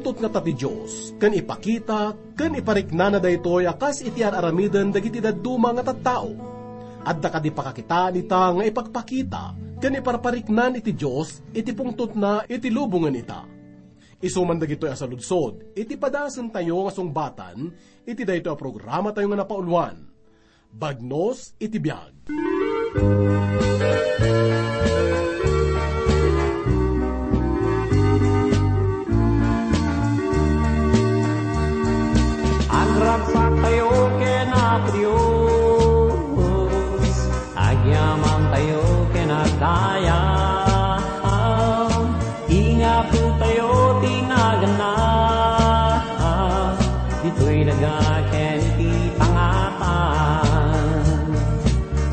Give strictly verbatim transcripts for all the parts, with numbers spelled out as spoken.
Tutnata ti Dios, ken ipakita, ken ipariknana daytoy a kas iti ar-aramiden dagiti dadduma nga tattao. Adda kadi pakakitaan ita nga ipakpakita, ken iparpariknan iti Dios iti pungtotna iti lubongen ita. Isu man dagitoy a saludsod, iti padasentayo nga sungbatan, iti daytoy a programatayo nga napauluan. Bagnos iti biag. Agragsaktayo ken Apo Dios, agyamantayo ken agdayag. Ingapotayo ti naganna, ditoy daga ken iti pangatan.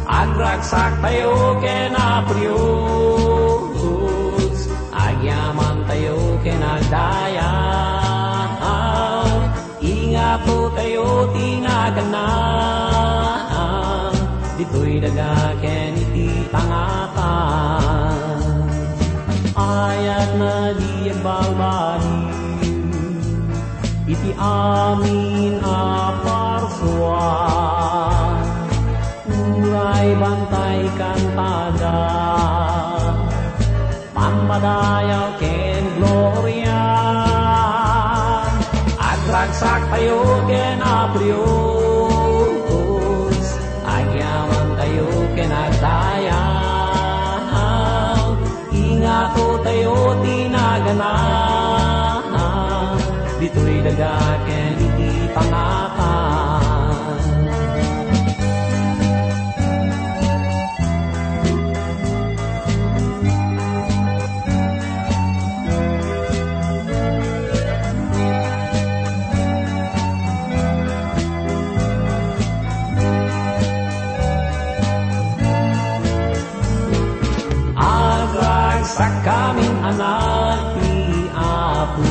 Agragsaktayo ken Apo Dios, agyamantayo ken agdayag. Ingapotayo ti naganna, ditoy daga ken iti pangatan. Ayatna di agbalbaliw iti amin a parsua. Uray bantay kantada, pampadayaw ken gloria. Agragsaktayo ken Apo Dios, agyamantayo ken agdayag. Ingapotayo ti naganna, ditoy daga ken iti pangatan. Agragsakkamin, anak ti Apo,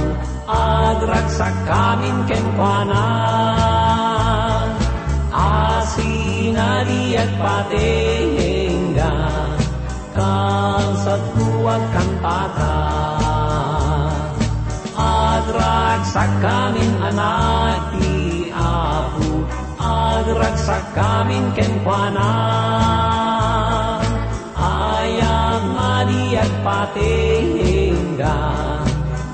agragsakkamin kenkuana. Asin a di agpatengga, kabsatko, agkantaka. Agragsakkamin, anak ti Apo, agragsakkamin kenkuana. Ayat a di agpatengga,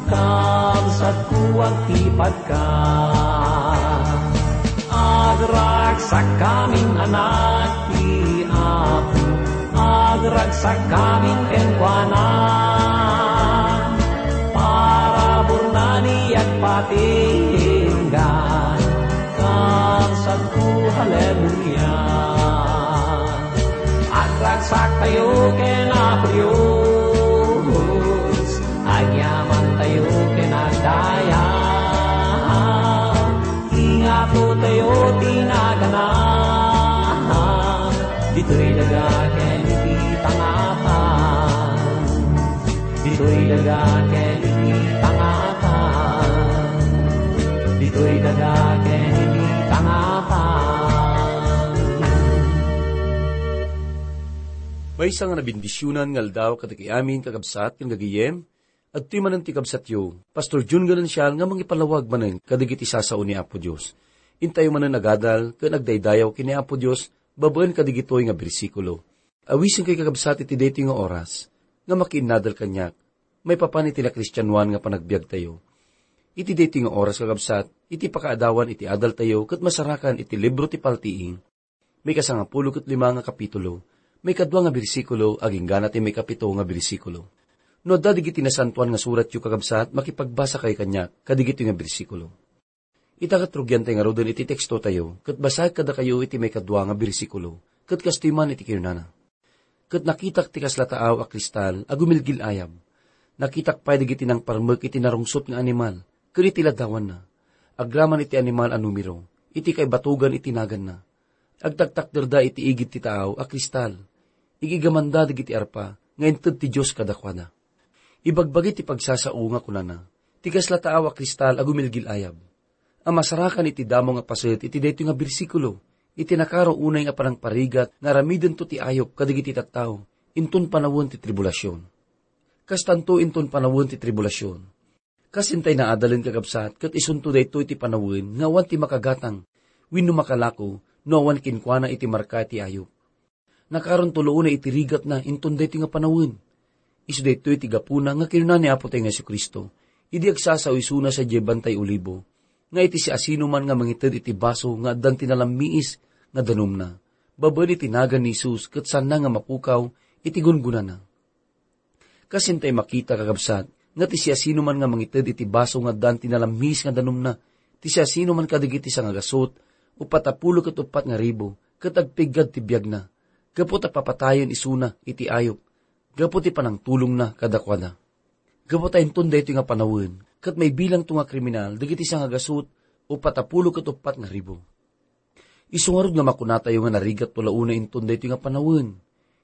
kabsatko, agtipadka. Agragsakkamin, anak ti Apo, agragsakkamin kenkuana. Paraburna di agpatengga, kabsatko, haleluya. Agragsaktayo ken Apo Dios, agyamantayo ken agdayag. Ingapotayo ti naganna, ditoy daga ken iti pangatan. Ditoy daga ken iti pangatan. Ditoy daga ken iti pangatan. Maysa nga nabendisionan nga aldaw kadagiti amin, kakabsat, ken gagayem. Adtoy manen ti kabsatyo, Pastor Jun Galencial, nga mangipalawag manen kadagiti sasao ni Apo Dios. Intayo manen agadal ken agdaydayaw ken ni Apo Dios babaen kadagitoy nga bersikulo. Awisenkayo, kakabsat, iti daytoy nga oras nga makiinnadal kaniak maipapan iti nakristianoan nga panagbiagtayo. Iti daytoy nga oras, kakabsat, iti pakaadawan iti adaltayo ket masarakan iti libro ti Paltiing, maikasangapulo ket lima nga kapitulo, maikadua nga bersikulo agingga ti maikapito nga bersikulo. No adda dagiti Nasantoan nga Suratyo, kakabsat, makipagbasakayo kaniak kadagitoy nga bersikulo. Ita ket rugiantay ngaruden iti tekstotayo, ket basaek kadakayo iti maikadua nga bersikulo, ket kastoy man iti kinunana, "Ket nakitak ti kasla taaw a kristal a gumilgil-ayab. Nakitak pay dagiti nangparmek iti narungsot nga animal ken iti ladawanna. Agraman iti animal a numero iti kaibatogan iti naganna. Agtaktakderda iti igid ti taaw a kristal. Ig-igamanda dagiti arpa nga inted ti Dios kadakuada." Ibagbagi ti pagsasao nga kunana, ti kasla taaw a kristal a gumilgil-ayab, a masarakan iti damo nga paset iti daytoy nga bersikulo, iti nakaro unay nga panangparigat nga aramidento ti ayup kadagiti tattao inton panawen ti tribulasion. Kastanto inton panawen ti tribulasion. Kas intay naadalen, kakabsat, ket isunto daytoy ti panawen nga awan ti makagatang wenno makalako no awan kenkuana iti marka ti ayup. Nakaron tuloona iti rigatna inton daytoy nga panawen. Isu daytoy ti gapuna nga kinuna ni Apotayo nga Jesu-Cristo, idi agsasao isuna sadiay Bantay Olibo, nga iti siasinoman nga mangited iti baso nga addan ti nalammiis nga danumna, babaen iti nagan ni Jesus ket saanna nga mapukaw iti gungonana. Kas intay makita, kakabsat, nga ti siasinoman nga mangited iti baso nga addan ti nalammiis nga danumna, ti siasinoman kadagiti sangagasut, uppat a pulo ket uppat nga ribu, ket agpiggad ti biagna, gapu ta papatayen isuna iti ayup, gapu ti panangtulongna kadakuada. Gapu ta inton daytoy nga panawen, ket maibilangto nga kriminal dagiti sangagasut, uppat a pulo ket uppat nga ribu. Isu ngarud nga makunatayo nga narigatto la unay inton daytoy nga panawen.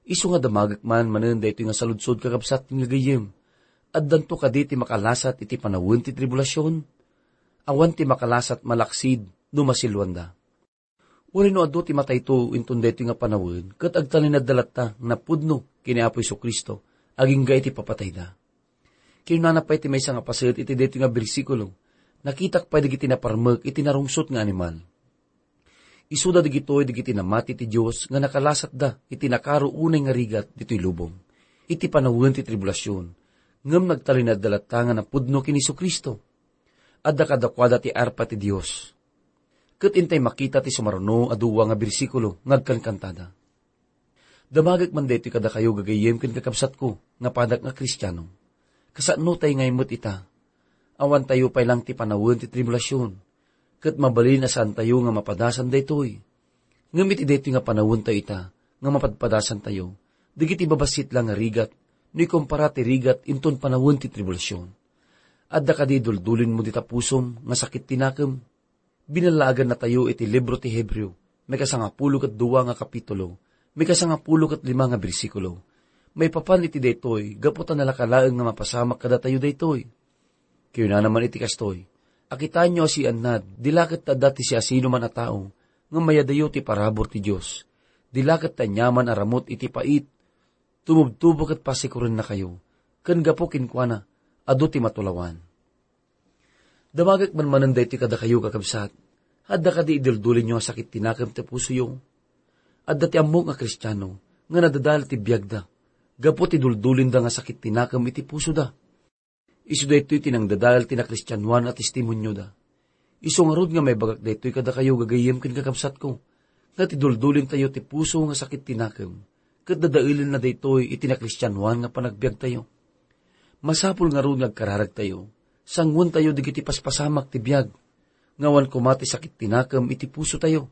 Isu nga damagek man manen daytoy nga saludsod, kakabsat, ken gagayyem. Addanto kadi ti makalasat iti panawen ti tribulasion? Awan ti makalasat malaksid no masiluanda. Uray no adu ti matayto inton daytoy nga panawen, ket agtalinaedda latta nga napudno ken ni Apo Jesu-Cristo agingga iti papatayda. Kinunana pay ti maysa nga paset iti daytoy nga bersikulo, "Nakitak pay dagiti naparmek iti narungsot nga animal." Isuda dagitoy dagiti namati ti Dios nga nakalasatda iti nakaro unay nga rigat ditoy lubong, iti panawen ti tribulasion, ngem nagtalinaedda latta nga napudno ken ni Jesu-Cristo. Adda kadakuada ti arpa ti Dios. Ket intay makita ti sumaruno a dua nga bersikulo nga agkankantada. Damagek man daytoy kadakayo, gagayyem ken kakabsatko, nga padak nga Kristiano. Kasano tay ngay met ita? Awantayo pay lang ti panawen ti tribulasion, ket mabalin a saantayo nga mapadasan daytoy. Ngem iti daytoy nga panawentayo ita nga mapadpadasantayo, dagiti babassit lang nga rigat no ikumpara ti rigat inton panawen ti tribulasion. Adda kadi duldulinmo dita pusom nga sakit ti nakem? Binalaagannatayo iti libro ti Hebreo, mikasangapulo ket dua nga kapitulo, mikasangapulo ket lima nga bersikulo. Maipapan iti daytoy, gapu ta nalaka laeng nga mapasamak kadatayo daytoy. Kinunana man iti kastoy, "Akitaenyo a siannad, di la ket adda ti siasinoman a tao nga mayadayo ti parabur ti Dios. Di la ket aniaman a ramut iti pait, tumubtubo ket pasikurennakayo, ken gapu kenkuana, adu ti matulawan." Damagek man manen daytoy kadakayo, kakabsat. Adda kadi iduldulinyo a sakit ti nakem ti pusoyo? Adda ti ammok nga Kristiano nga nadadael ti biagda gapu ti duldulinda nga sakit ti nakem iti pusoda. Isu daytoy ti nangdadael ti nakristianoan a testimonioda. Isu ngarud nga maibagak daytoy kadakayo, gagayyem ken kakabsatko, nga ti duldulintayo ti puso nga sakit ti nakem, ket dadaelenna daytoy iti nakristianoan nga panagbiagtayo. Masapul ngarud nga agkararagtayo, sanguentayo dagiti paspasamak ti biag, nga awan koma ti sakit ti nakem iti pusotayo.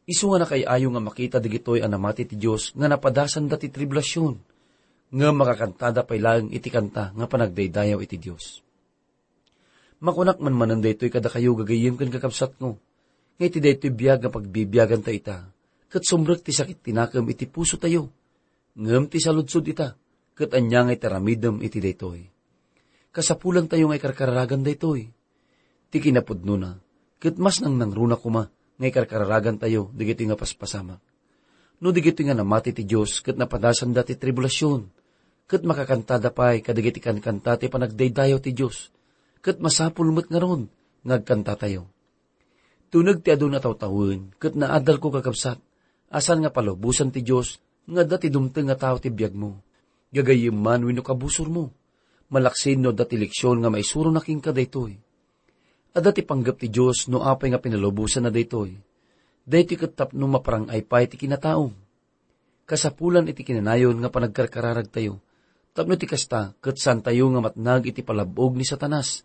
Isu nga nakaay-ayo nga makita dagitoy a namati ti Dios nga napadasanda ti tribulasion, ngem makakantada pay laeng iti kanta nga panagdaydayaw iti Dios. Makunak man manen daytoy kadakayo, gagayyem ken kakabsatko, nga iti daytoy biag nga pagbibiagantayo ita, ket sumrek ti sakit ti nakem iti pusotayo. Ngem ti saludsod ita, ket ania nga iti aramidem iti daytoy? Kasapulantayo nga ikarkararagan daytoy. Ti kinapudnona, ket mas nangnangruna koma nga ikarkararagantayo dagitoy nga paspasamak. No dagitoy nga namati ti Dios ket napadasanda ti tribulasion, ket makakantada pay kadagiti kankanta ti panagdaydayaw ti Dios, ket masapul met ngarud nga agkantatayo. Tuneg ti adu a tawtawen ket naadalko, kakabsat, a saan nga palubosan ti Dios nga adda ti dumteng a tao ti biagmo, gagayyem man wenno kabusormo, malaksid no adda ti leksion nga maisurona kenka daytoy. Adda ti panggep ti Dios no apay nga pinalubosanna daytoy. Daytoy ket tapno maparang-ay pay ti kinataom. Kasapulan iti kinanayon nga panagkarkararagtayo, tapno ti kasta ket saantayo nga matnag iti palab-og ni Satanas,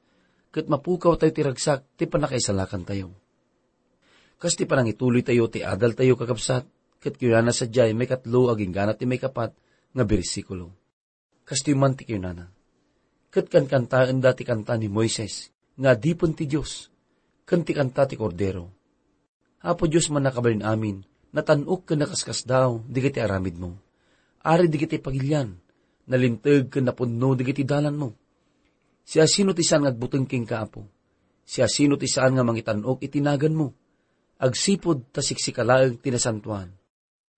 ket mapukawtayo ti ragsak ti pannakaisalakantayo. Kas ti panangituloytayo ti adaltayo, kakabsat, ket kinunana sadiay maikatlo agingga ti maikapat nga bersikulo. Kastoy man ti kinunana, "Ket kankantaenda ti kanta ni Moises nga adipen ti Dios, ken ti kanta ti Kordero." Apo Dios, Mannakabalin-amin, natan-ok ken nakaskasdaaw dagiti aramidmo. Ari dagiti pagilian, nalinteg ken napudno dagiti dalanmo. Siasino ti saan nga agbuteng kenka, Apo? Siasino ti saan nga mangitan-ok iti naganmo? Agsipud ta siksika laeng ti nasantoan.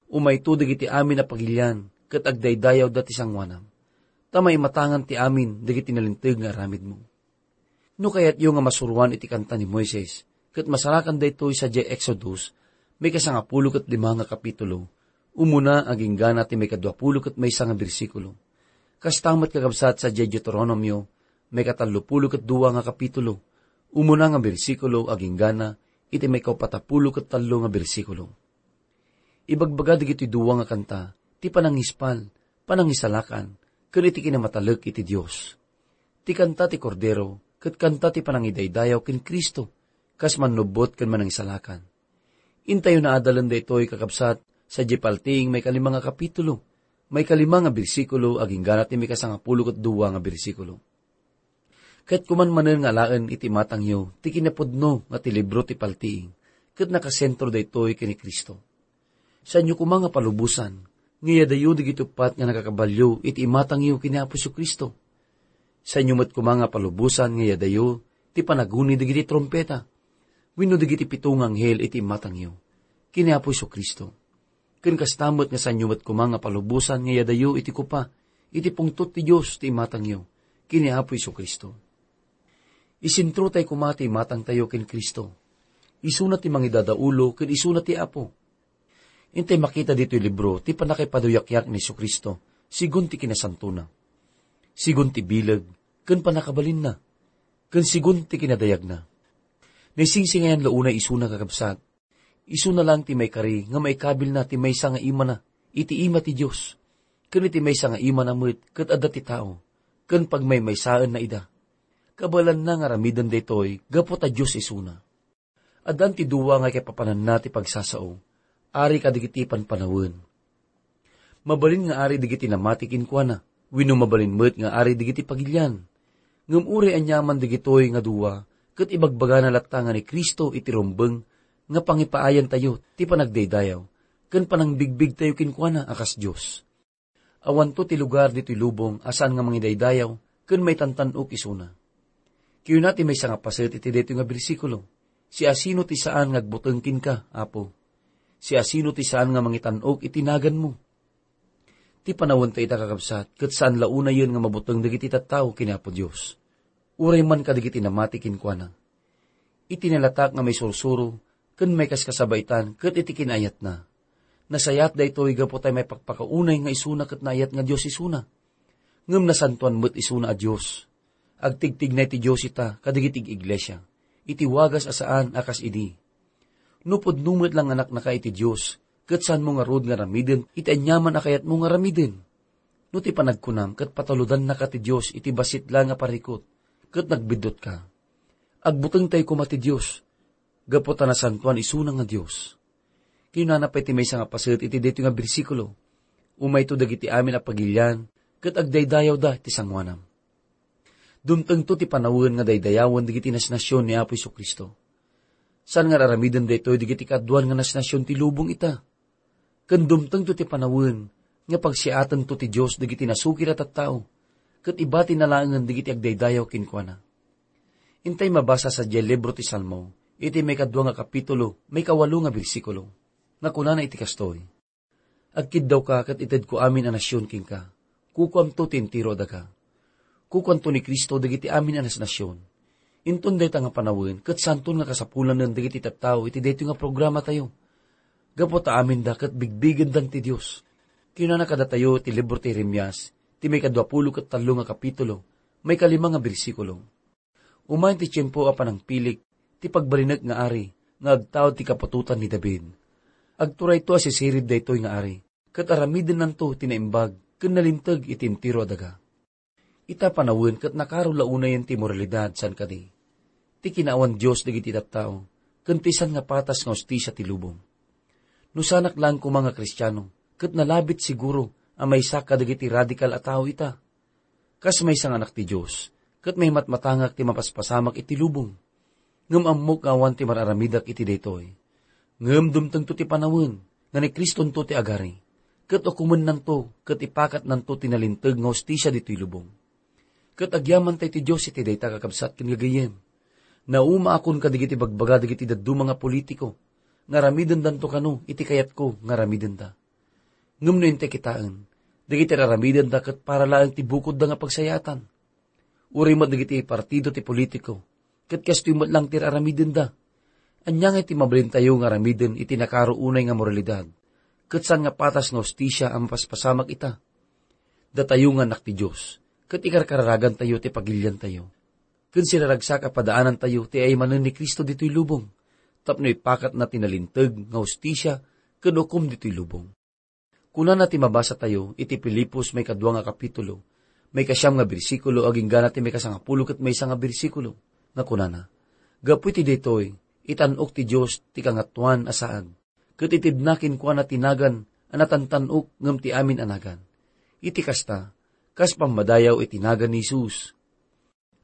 Umayto dagiti amin a pagilian ket agdaydayawda ti sangoanam, ta maimatangan ti amin dagiti nalinteg nga aramidmo. No kayatyo nga masuroan iti kanta ni Moises, ket masarakan daytoy sadiay Exodus, maikasangapulo ket lima nga kapitulo, umuna agingga na ti maikaduapulo ket maysa nga bersikulo. Kasta met, kakabsat, sadiay Deuteronomio, maikatallopulo ket dua nga kapitulo, umuna nga bersikulo agingga na iti maikaupatapulo ket tallo nga bersikulo. Ibagbaga dagitoy dua nga kanta ti panangispal, panangisalakan, ken iti kinamatalek iti Dios. Ti kanta ti Kordero ket kanta ti panangidaydayaw ken Cristo, kas mannubbot ken manangisalakan. Intayo naadalen daytoy, kakabsat, sadiay paltiing maikalima nga kapitulo, maikalima nga bersikulo, agingga na ti maikasangapulo ket dua nga bersikulo. Ket kuman manen nga alaen iti imatangyo ti kinapudno nga ti libro ti paltiing, ket nakasentro daytoy ken ni Cristo. Saanyo koma nga palubosan nga iyadayo dagiti uppat nga nagakabalio iti imatangyo ken ni Apo Jesu-Cristo. Saanyo met koma nga palubosan nga iyadayo ti panaguni dagiti trumpeta wenno dagiti pito nga anghel iti imatangyo ken ni Apo Jesu-Cristo. Ken kasta met nga saanyo met koma nga palubosan nga iyadayo iti kopa iti pungtot ti Dios ti imatangyo ken ni Apo Jesu-Cristo. Isentro tay koma ti imatangtayo ken Cristo. Isuna ti mangidadaulo ken isuna ti Apo. Intay makita ditoy libro ti pannakaipaduyakyak ni Jesu-Cristo sigun ti kinasantona, sigun ti bileg ken pannakabalinna, ken sigun ti kinadayagna. Naisingsingayan la unay isuna, kakabsat. Isuna lang ti maikari nga maikabilna ti maysa nga imana iti ima ti Dios, ken iti maysa nga imana met ket adda ti tao, ken pagmaymaysaenna ida. Kabaelanna nga aramiden daytoy gapu ta Dios isuna. Addan ti dua nga ikipapananna ti pagsasao, ari kadagiti panpanawen. Mabalin nga ari dagiti namati kenkuana, wenno mabalin met nga ari dagiti pagilian. Ngem uray aniaman dagitoy nga dua, ket ibagbagana latta nga ni Cristo iti rumbeng nga pangipaayantayo ti panagdaydayaw ken panangbigbigtayo kenkuana a kas Dios. Awanto ti lugar ditoy lubong a saan nga mangidaydayaw ken maitantan-ok isuna. Kinuna ti maysa nga paset iti daytoy nga bersikulo, "Siasino ti saan nga agbuteng kenka, Apo? Siasino ti saan nga mangitan-ok iti naganmo?" Ti panawenta ita, kakabsat, ket saan la unayen nga mabuteng dagiti tattao ken Apo Dios. Uray man kadagiti namati kenkuana. Iti nalatak nga maisursuro ken maikaskasabaitan ket iti kinaayatna. Nasayaat daytoy gapu ta maipakpakaunay nga isuna ket naayat nga Dios isuna. Ngem nasantoan met isuna a Dios. Agtigtignay ti Dios ita kadagiti ig-iglesia iti wagas a saan a kas idi. No pudno met la nga anaknaka iti Dios, ket saanmo ngarud nga aramiden iti aniaman a kayatmo nga aramiden. No ti panagkunam ket pataludannaka ti Dios iti bassit la nga parikut, ket nagbiddutka, agbutengtayo koma ti Dios, gapu ta nasantoan isuna nga Dios. Kinunana pay ti maysa nga paset iti daytoy nga bersikulo, "Umayto dagiti amin a pagilian, ket agdaydayawda ti sangoanam." Dumtengto ti panawen nga daydayawen dagiti nasnasion ni Apo Jesu-Cristo. Saan nga aramiden daytoy dagiti kaaduan nga nasnasion ti lubong ita. Ken dumtengto ti panawen nga pagsiatento ti Dios dagiti nasukir a tattao, ket ibatina laengen dagiti agdaydayaw kenkuana. Intay mabasa sadiay libro ti Salmo, iti maikadua nga kapitulo, maikawalo nga bersikulo, nga kunana iti kastoy, "Agkiddawka ket itedko amin a nasion kenka. Kukuamto ti entero a daga." Kukuanto ni Cristo dagiti amin a nasnasion. Inton dayta nga panawen, ket santon nga kasapulanen dagiti tattao iti daytoy nga programatayo. Gapu ta aminda ket bigbigendan ti Dios. Kinunana kadatayo ti libro ti Jeremias, ti maikaduapulo ket tallo nga kapitulo, maikalima nga bersikulo, "Umayen ti tiempo a panangpilik ti pagbalinek nga ari nga agtaud ti kaputotan ni David. Agturayto a sisirib daytoy nga ari, ket aramidennanto ti naimbag ken nalinteg iti entero a daga." Ita panawen ket nakaro la unayen ti moralidad, saan kadi? Ti kinaawan Dios dagiti tattao, ken ti saan nga patas nga hustisia ti lubong. No saanak laeng koma nga Kristiano, ket nalabit siguro a maysak kadagiti radikal a tao ita. Kas maysa nga anak ti Dios, ket maimatmatangak ti mapaspasamak iti lubong. Ngem ammok nga awan ti mar-aramidak iti daytoy. Ngem dumtengto ti panawen nga ni Cristonto ti agari, ket ukomennanto ket ipakatnanto ti nalinteg nga hustisia ditoy lubong. Ket agyamantay ti Dios iti dayta, kakabsat ken gagayyem. Naumaakon kadagiti bagbaga dagiti dadduma nga politiko nga aramidendanto kano iti kayatko nga aramidenda. Ngem no intay kitaen, dagiti ar-aramidenda ket para laeng ti bukodda nga pagsayaatan. Uray met dagiti partido ti politiko, ket kastoy met lang ti aramidenda. Ania nga iti mabalintayo nga aramiden iti nakaro unay nga moralidad, ket saan nga patas nga hustisia a mapaspasamak ita? Datayo nga annak ti Dios, ket ikarkararagantayo ti pagiliantayo. Ken siraragsak a padaanantayo ti ay manen ni Cristo ditoy lubong, tapno ipakatna ti nalinteg nga hustisia ken ukom ditoy lubong. Kunana ti mabasatayo iti Filipos maikadua nga kapitulo, maikasiam nga bersikulo agingga na ti maikasangapulo ket maysa nga bersikulo, nga kunana, "Gapu iti daytoy, itan-ok ti Dios ti Kangatoan a saag, ket itedna kenkuana ti nagan a natantan-ok ngem ti amin a nagan. Iti kasta, kas pammadayaw iti nagan ni Jesus."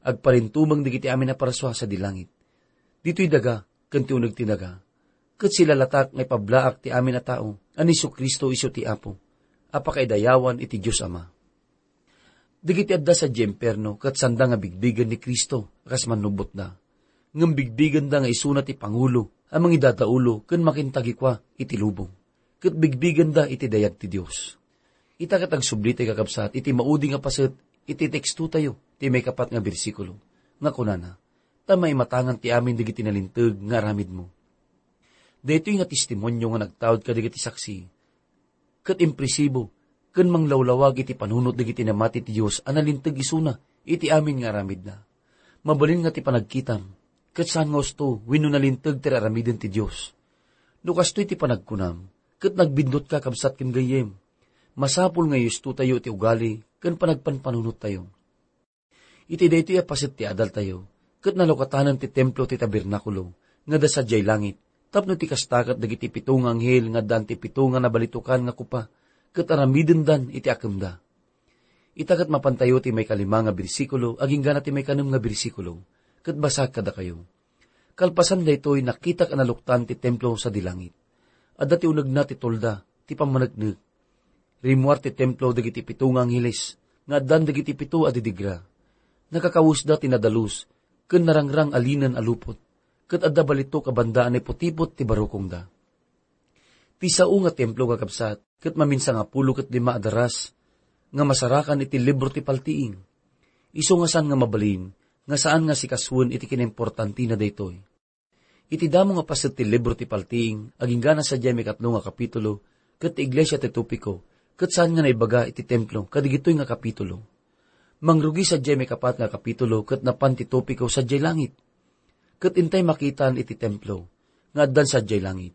Agparintumeng dagiti amin a parsua sadi langit. Ditoy daga ken ti uneg ti daga, ket silalatak nga ipablaak ti amin a tao a ni Jesu-Cristo isu ti Apo, a pakaidayawan iti Dios Ama. Dagiti adda sadiay impierno ket saanda nga bigbigen ni Cristo a kas mannubbotda, ngem bigbigenda nga isuna ti pangulo a mangidadaulo ken makintagikua iti lubong, ket bigbigenda iti dayag ti Dios. Ita ket agsubli ti kakabsat iti maudi nga paset iti tekstotayo, ti maikapat nga bersikulo, nga kunana, "Ta maimatangan ti amin dagiti nalinteg nga aramidmo." Daytoy nga testimonio nga nagtaud kadagiti saksi, ket impresibo, ken manglawlawag iti panunot dagiti namati ti Dios a nalinteg isuna iti amin nga aramidna. Mabalin nga ti panagkitam, ket saan nga usto wenno nalinteg ti aramiden ti Dios. No kastoy ti panagkunam, ket nagbiddut ka, kabsat ken gayyem, masapul nga iustotayo ti ugali ken panagpanpanunottayo. Iti daytoy a paset ti adaltayo, ket nalukatanen ti templo ti tabernakulo nga adda sadiay langit, tapno ti kasta ket dagiti pito nga anghel nga addaan ti pito nga nabalitokan nga kopa, ket aramidendan iti akemda. Ita ket mapantayo ti maikalima nga bersikulo agingga na ti maikanem nga bersikulo, ket basaek kadakayo. Kalpasan daytoy, nakitak a naluktan ti templo sadi langit. Adda ti unegna ti tolda, ti pammaneknek. Rimmuar ti templo dagiti pito nga angheles, nga addan dagiti pito a didigra. Nakakawesda ti nadalus, ken narangrang a linen a lupot, ket adda balitok a banda a naiputipot ti barukongda. Ti sao nga templo, kakabsat, ket maminsangapulo ket lima a daras nga masarakan iti libro ti paltiing. Isu nga saan nga mabalin nga saan nga sikasuen iti kinaimportantina daytoy. Iti damo nga paset ti libro ti paltiing, agingga na sadiay maikatlo nga kapitulo, ket ti iglesia ti topiko, ket saan nga naibaga iti templo kadigitoy nga kapitulo. Mangrugi sadiay maikapat nga kapitulo, ket napan ti topiko sadiay langit. Ket intay makitaan iti templo nga addan sadiay langit.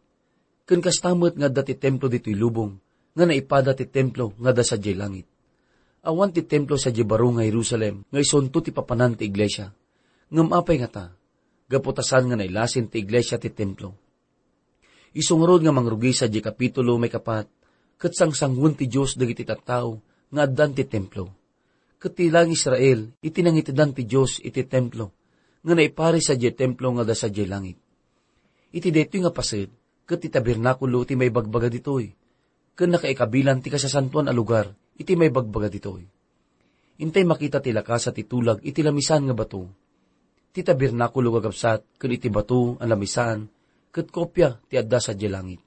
Ken kasta met nga adda ti templo ditoy lubong, nga naipada ti templo nga adda sadiay langit. Awan ti templo sadiay baro nga Jerusalem nga isunto ti papanan ti iglesia. Ngem apay ngata? Gapu ta saan nga nailasin ti iglesia ti templo. Isu ngarud nga mangrugi sadiay kapitulo maikapat, ket sangsangoen ti Dios dagiti tattao nga addan ti templo. Ket ti lang Israel iti nangitedan ti Dios iti templo, nga naiparis sadiay templo nga adda sadiay langit. Iti daytoy nga paset, ket ti tabernakulo ti maibagbaga ditoy, ken nakaikabilan ti kasasantoan a lugar iti maibagbaga ditoy. Intay makita ti lakasa ti tulag iti lamisaan nga bato. Ti tabernakulo, kakabsat, ken iti bato a lamisaan, ket kopia ti adda sadiay langit.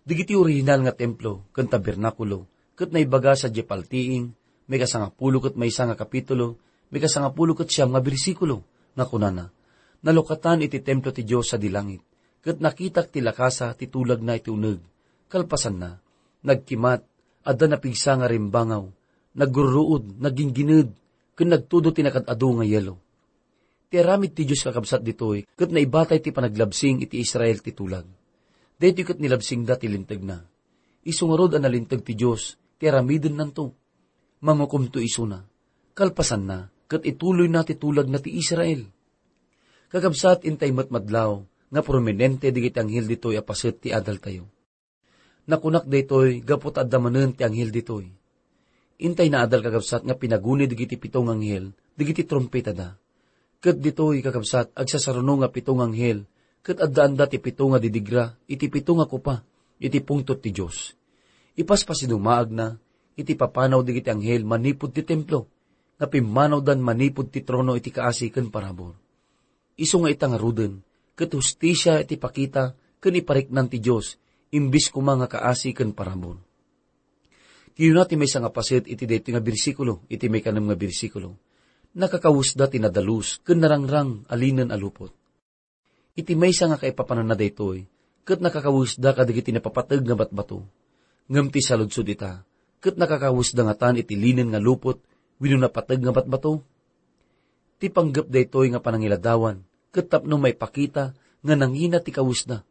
Dagiti orihinal nga templo ken tabernakulo ket naibaga sadiay paltiing, maikasangapulo ket maysa nga kapitulo, maikasangapulo ket siam nga bersikulo, nga kunana, "Nalukatan iti templo ti Dios sadi langit, ket nakitak ti lakasa ti tulagna iti uneg. Kalpasanna, nagkimat, adda napigsa nga rimbangaw, nagruruod, nagginggined, ken nagtudo ti nakad-adu nga yelo." Ti aramid ti Dios, kakabsat, ditoy ket naibatay ti panaglabsing iti Israel ti tulag. Daytoy ket nilabsingda ti lintegna. Isu ngarud a nalinteg ti Dios ti aramidennanto. Mangukomto isuna. Kalpasanna, ket ituloyna ti tulagna ti Israel. Kakabsat, intay met madlaw nga prominente dagiti anghel ditoy a paset ti adaltayo. Nakunak daytoy gapu ta adda manen ti anghel ditoy. Intay naadal, kakabsat, nga pinaguni dagiti pito nga anghel dagiti trumpetada. Ket ditoy, kakabsat, agsasaruno nga pito nga anghel, ket addaanda ti pito nga didigra iti pito nga kopa iti pungtot ti Dios. Ipaspasidumaagna iti papanaw dagiti anghel manipud ti templo, nga pimmanawdan manipud ti trono iti kaasi ken parabur. Isu nga ita ngaruden, ket hustisia iti pakita ken ipariknan ti Dios, imbes koma nga kaasi ken parabur. Kinuna ti maysa nga paset iti daytoy nga bersikulo, iti maikanem nga bersikulo, Nakakawesda ti nadalus ken narangrang a linen a lupot. Iti maysa nga kaipapananna daytoy, ket nakakawesda kadagiti napapateg nga batbato. Ngem ti saludsod ita, ket nakakawesda ngatan iti linen nga lupot wenno napateg nga batbato? Ti panggep daytoy nga panangiladawan, ket tapno maipakita nga nangina ti kawesda,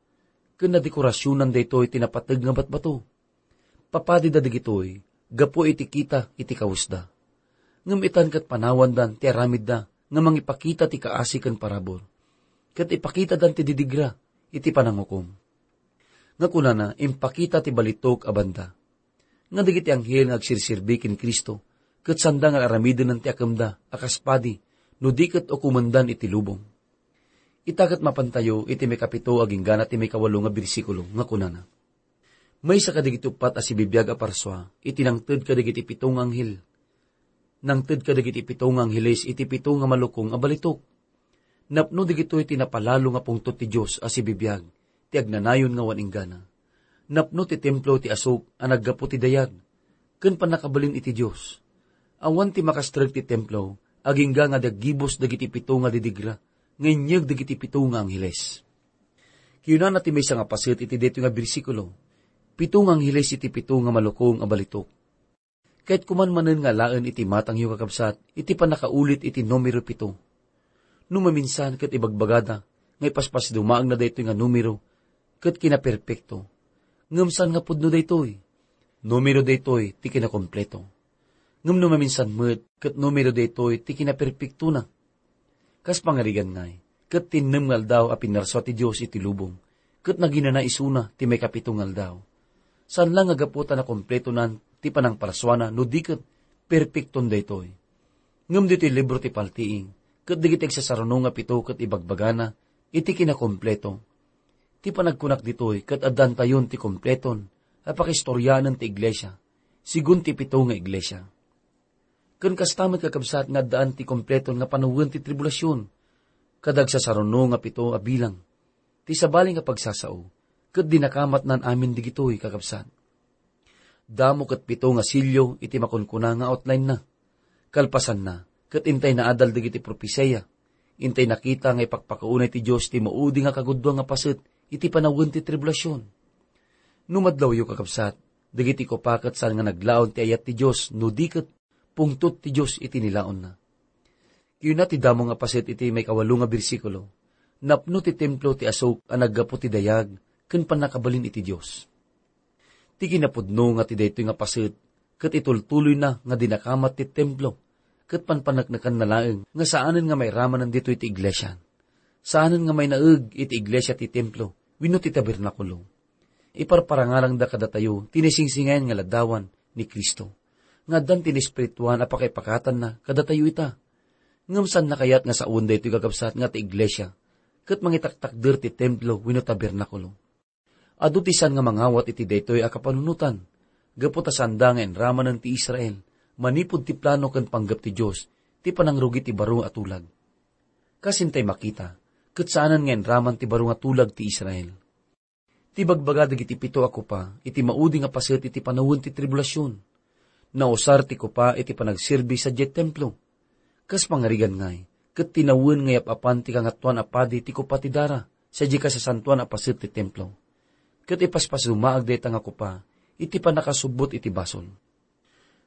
ken nadekorasionan daytoy ti napateg nga batbato. Papadida dagitoy gapu iti kita iti kawesda. Ngem itan ket panawandan ti aramidda nga mangipakita ti kaasi ken parabur, ket ipakitadan ti didigra iti panangukom. Nga kunana, impakita ti balitok a banda. Nga dagiti anghel nga agsirsirbi ken Cristo, ket sanda nga aramidenen ti akemda a kas padi, no di ket ukomendan iti lubong. Ita ket mapantayo iti maikapito agingga ti maikawalo nga bersikulo nga kunana, Maysa kadagiti uppat a sibibiag a parsua iti nangted kadagiti pito nga anghel. Nangted kadagiti pito nga angheles iti pito nga malukong a balitok. Napno dagitoy ti napalalo nga pungtot ti Dios a sibibiag, ti agnanayon nga awan inggana. Napno ti templo ti asuk a naggapu ti dayag, ken pannakabalin iti Dios. Awan ti makastrek ti templo, agingga nga daggibus dagiti pito nga didigra, nga inyeg dagiti pito nga angheles. Kinunana ti maysa nga paset iti daytoy nga bersikulo, pito nga angheles iti pito nga malukong a balitok. Ket kuman manen nga alaen iti matangyo, kakabsat, iti pannakaulit iti numero pito. No maminsan ket ibagbagada nga ipaspasdumaagna daytoy nga numero ket kinaperpekto. Ngem saan nga pudno daytoy. Numero daytoy ti kinakompleto. Ngem no maminsan met ket numero daytoy ti kinaperpektona. Kas pangarigan ngay, ket ti innem nga aldaw a pinarsua ti Dios iti lubong, ket naginana isuna ti maikapito nga aldaw. Saan la nga gapu ta nakompletonan ti panangparsuana no di ket perpekton daytoy. Ngem ditoy libro ti Paltiing, ket dagiti agsasaruno nga pito ket ibagbagana iti kinakompleto. Ti panagkunak ditoy ket addantayon ti kompleton a pakistorianen ti iglesia, sigun ti pito nga iglesia. Ken kasta met, kakabsat, nga addaan ti kompleton nga panawen ti tribulasion, kada agsasaruno nga pito a bilang. Ti sabali nga pagsasao, ket dinakamatnan amin digitoy, kakabsat. Damo ket pito nga sello iti makunkuna nga outline-na. Kalpasanna, ket intay naadal dagiti propesia. Intay nakita nga ipakpakaunay ti Dios ti maudi nga kagudua nga paset iti panawen ti tribulasion. No madlawyo, kakabsat, dagiti kopa ket saan nga naglaon ti ayat ti Dios, no di ket pungtot ti Dios iti nilaonna. Kayuna ti damo nga paset iti maikawalo nga bersikulo, napno ti templo ti asuk a naggapu ti dayag ken pannakabalin iti Dios. Ti kinapudno nga ti daytoy nga paset ket itultuloyna nga dinakamat ti templo ket panpaneknekanna laeng nga saanen nga mairamanen ditoy ti iglesia. Saanen nga mainaeg iti iglesia ti templo wenno ti tabernakulo. Iparparangarangda kadatayo ti naisingsingayan nga ladawan ni Cristo, nga addan ti naespirituan a pakaipakatanna kadatayo ita. Ngem saanna kayat nga sawen daytoy, kakabsat, nga ti iglesia ket mangitaktakder ti templo wenno tabernakulo? Adu ti saan nga mangawat iti daytoy a kapanunotan, gapu ta saanda nga inramanen ti Israel manipud ti plano ken panggep ti Dios ti panangrugi ti baro a tulag. Kas intay makita, ket saanen nga inraman ti baro nga tulag ti Israel. Ti bagbaga dagiti pito a kopa iti maudi nga paset iti panawen ti tribulasion. Nausar ti kopa iti panagserbi sadiay templo. Kas pangarigan ngay, ket tinawen nga yap-apan ti Kangatoan a Padi ti kopa ti dara sadiay kasasantoan a paset ti templo. Ket ipaspasdumaag dayta nga kopa iti pannakasubbot iti basol.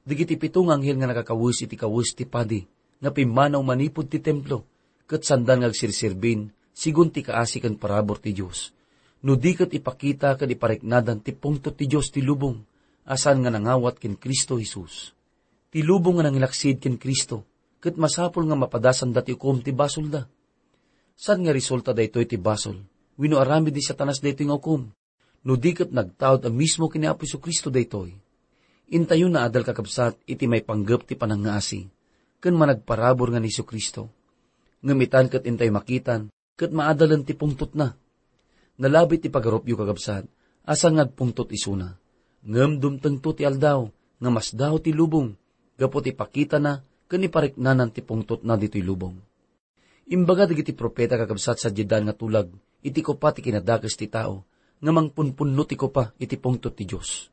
Dagiti pito nga anghel nga nakakawes iti kawes ti padi nga pimmanaw manipud ti templo, ket saandan nga agsirsirbin sigun ti kaasi ken parabur ti Dios, no di ket ipakita ken ipariknadan ti pungtot ti Dios ti lubong a saan nga nangawat ken Cristo Jesus. Ti lubong nga nangilaksid ken Cristo ket masapul nga mapadasanda ti ukom ti basolda. Saan nga resulta daytoy ti basol wenno aramid ni Satanas daytoy nga ukom? No di ket nagtaud a mismo ken ni Apo Jesu-Cristo daytoy. Intayon naadal, kakabsat, iti maipanggep ti panangngaasi ken managparabur nga ni Jesu-Cristo. Ngem itan ket intay makitan ket maadalen ti pungtotna. Nalabit ti pagarupyo, kakabsat, a saan nga agpungtot isuna. Ngem dumtengto ti aldaw nga masdaaw ti lubong gapu ti ipakitana ken ipariknanan ti pungtotna ditoy lubong. Imbaga dagiti profeta, kakabsat, sadiay daan nga tulag iti kopa ti kinadakes ti tao nga mangpunpunno ti kopa iti pungtot ti Dios.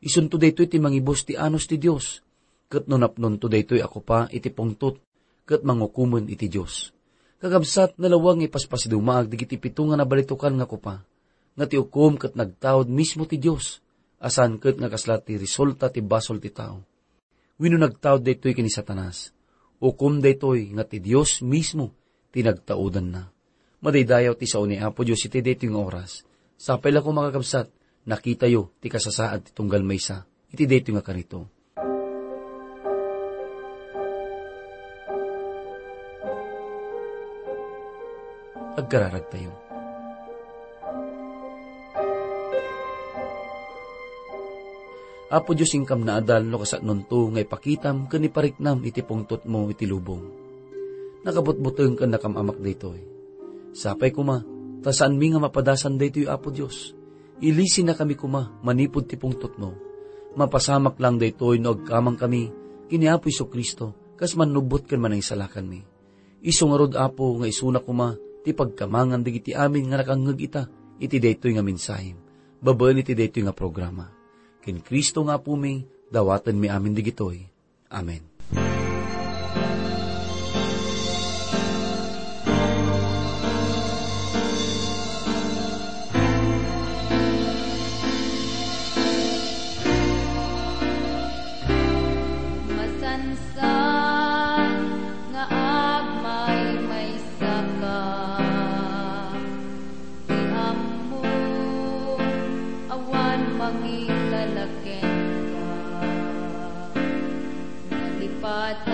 Isunto daytoy ti mangibus ti anus ti Dios. Ket no napnonto daytoy a kopa iti pungtot, ket mangukomen iti Dios. Kakabsat, nalawag nga ipaspasidumaag dagiti pito nga nabalitokan nga kopa, nga ti ukom ket nagtaud mismo ti Dios, a saan ket nga kasla ti resulta ti basol ti tao. Wenno nagtaud daytoy ken ni Satanas. Ukom daytoy nga ti Dios mismo ti nagtaudanna. Madaydayaw ti sao ni Apo Dios iti daytoy nga oras. Sapay la koma, kakabsat, nakitayo ti kasasaad ti tunggal maysa iti daytoy nga karito. Agkararagtayo. Apo Dios, inkam naadal no kasatnonto nga ipakitam ken ipariknam iti pungtotmo iti lubong. Nakabutbuteng ken nakam-amak daytoy. Sapay koma, ta saanmi nga mapadasan daytoy, Apo Dios. Ilisennakami koma manipud ti pungtotmo. Mapasamak lang daytoy no agkamangkami ken ni Apo Jesu-Cristo kas mannubbot ken manangsalakanmi. Isu ngarud, Apo, nga isuna koma ti pagkamangan dagiti amin nga nakangngeg ita iti daytoy nga mensahem, babaen iti daytoy nga programa. Ken Cristo nga Apomi, dawatenmi amin dagitoy. Amen. Masansan nga agmaymaysaka, ti ammom awan mangilala kenka. Nalipat